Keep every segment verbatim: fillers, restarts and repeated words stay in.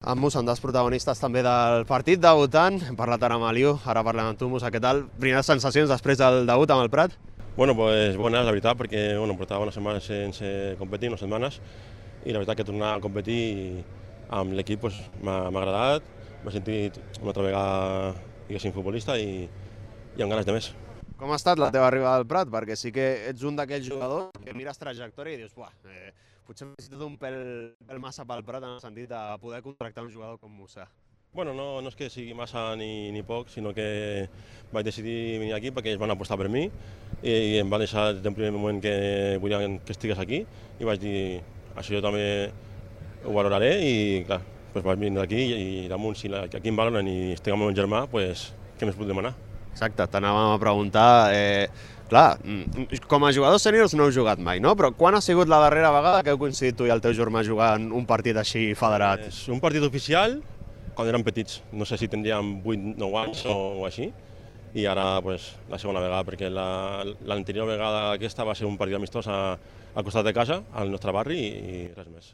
En Musa, un dels protagonistes també del partit, debutant. Hem parlat ara amb Aliu, ara parlem amb tu, Musa, què tal? Primeres sensacions després del debut amb el Prat? Bueno, pues bones, la veritat, perquè bueno, portava unes setmanes sense competir, unes setmanes, i la veritat que tornar a competir amb l'equip pues, m'ha agradat, m'he sentit una altra vegada, diguéssim, futbolista i, i amb ganes de més. Com ha estat la teva arribada al Prat? Perquè sí que ets un d'aquells jugadors que mires trajectòria i dius, buah, eh, potser m'he sentit un pèl, pèl massa pel Prat en el sentit de poder contractar un jugador com Musa. Bueno, no, no és que sigui massa ni, ni poc, sinó que vaig decidir venir aquí perquè es van apostar per mi i, i em va deixar des del primer moment que volien que estigués aquí i vaig dir, això jo també ho valoraré i clar, pues vaig venir aquí i, i damunt si la, aquí em valoren i estic amb el meu germà, pues, què més puc demanar? Exacte, t'anàvem a preguntar, eh, clar, com a jugadors sèniors no heu jugat mai, no? Però quan ha sigut la darrera vegada que heu coincidit tu i el teu germà jugant un partit així federat? És un partit oficial quan érem petits, no sé si tindríem vuit nou anys o, o així, i ara pues, la segona vegada, perquè l'anterior la, vegada aquesta va ser un partit amistós a, al costat de casa, al nostre barri, i, i res més.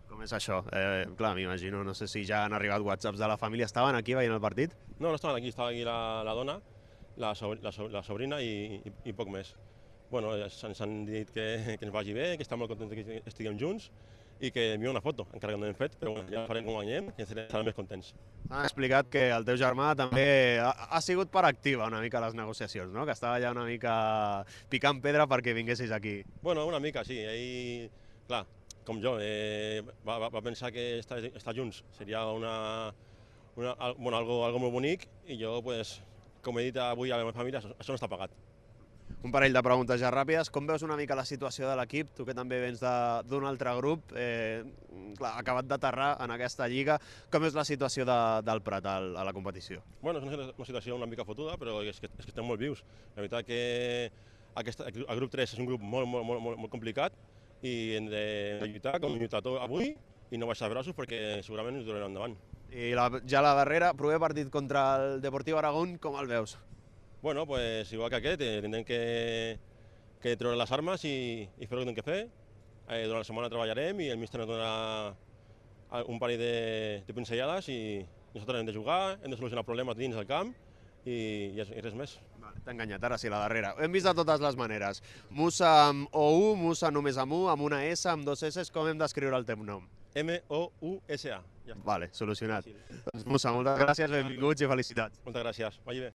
Com és això? Eh, clar, m'imagino, no sé si ja han arribat whatsapps de la família. Estaven aquí veient el partit? No, no estaven aquí, estava aquí la, la dona, la, so, la, so, la sobrina i, i, i poc més. Bueno, ens han dit que, que ens vagi bé, que estan molt contents que estiguem junts, i que envia una foto, encara que no hem fet, però bueno, ja farem com guanyem i estarem més contents. T'han explicat que el teu germà també ha, ha sigut per activa una mica a les negociacions, no? Que estava ja una mica picant pedra perquè vinguessis aquí. Bueno, una mica, sí. Ell, clar, com jo, eh, va, va pensar que estar, estar junts seria una, una, bueno, algo, algo molt bonic i jo, pues, com he dit avui a la meva família, això, això no està pagat. Un parell de preguntes ja ràpides. Com veus una mica la situació de l'equip? Tu que també vens d'un altre grup, eh, clar, acabat d'aterrar en aquesta lliga. Com veus la situació de, del Prat a, a la competició? Bueno, és una, una situació una mica fotuda, però és que, és que estem molt vius. La veritat que aquesta, el grup tres és un grup molt, molt, molt, molt complicat i hem de lluitar com hem lluitat avui i no baixar braços perquè segurament ens durarem endavant. I la, ja la darrera, proper partit contra el Deportiu Aragón, com el veus? Bueno, pues igual que aquest, eh, tindrem que, que treure les armes i, i fer el que hem de fer. Eh, durant la setmana treballarem i el míster ens donarà un parell de, de pinzellades i nosaltres hem de jugar, hem de solucionar problemes dins del camp i, i, i res més. Vale, t'he enganyat, ara sí, la darrera. Ho hem vist de totes les maneres. Musa amb O U, Musa només amb U, amb una S, amb dos S, com hem d'escriure el teu nom? M O U S A. Ja vale, solucionat. Doncs Musa, moltes gràcies, benvinguts i felicitats. Moltes gràcies, vagi bé.